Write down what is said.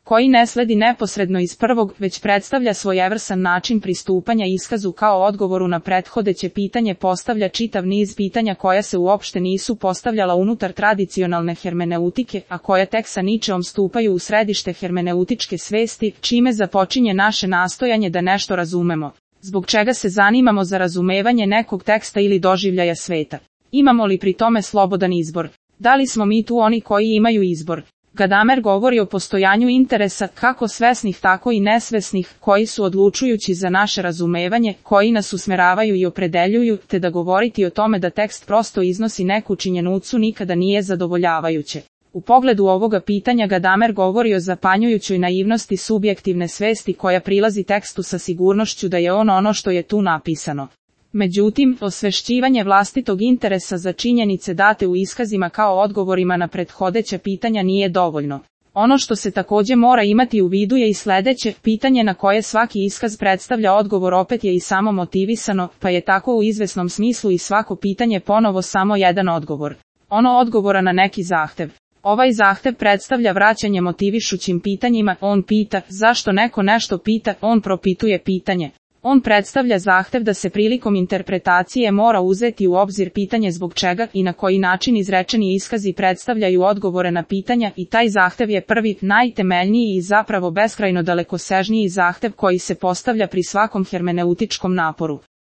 koji ne sledi neposredno iz prvog, već predstavlja svojevrstan način pristupanja iskazu kao odgovoru na prethodeće pitanje, postavlja čitav niz pitanja koja se uopšte nisu postavljala unutar tradicionalne hermeneutike, a koja tek sa Nietzscheom stupaju u središte hermeneutičke svesti, čime započinje naše nastojanje da nešto razumemo. Zbog čega se zanimamo za razumevanje nekog teksta ili doživljaja sveta? Imamo li pri tome slobodan izbor? Da li smo mi tu oni koji imaju izbor? Gadamer govori o postojanju interesa, kako svesnih tako i nesvesnih, koji su odlučujući za naše razumevanje, koji nas usmeravaju i opredeljuju, te da govoriti o tome da tekst prosto iznosi neku činjenicu nikada nije zadovoljavajuće. U pogledu ovoga pitanja Gadamer govori o zapanjujućoj naivnosti subjektivne svesti koja prilazi tekstu sa sigurnošću da je ono što je tu napisano. Međutim, osvešćivanje vlastitog interesa za činjenice date u iskazima kao odgovorima na prethodeća pitanja nije dovoljno. Ono što se također mora imati u vidu je i sljedeće: pitanje na koje svaki iskaz predstavlja odgovor opet je i samo motivisano, pa je tako u izvesnom smislu i svako pitanje ponovo samo jedan odgovor. Ono odgovora na neki zahtev. Ovaj zahtev predstavlja vraćanje motivišućim pitanjima, on pita, zašto neko nešto pita, on propituje pitanje. On predstavlja zahtev da se prilikom interpretacije mora uzeti u obzir pitanje zbog čega i na koji način izrečeni iskazi predstavljaju odgovore na pitanja, i taj zahtev je prvi, najtemeljniji i zapravo beskrajno dalekosežniji zahtev koji se postavlja pri svakom hermeneutičkom naporu.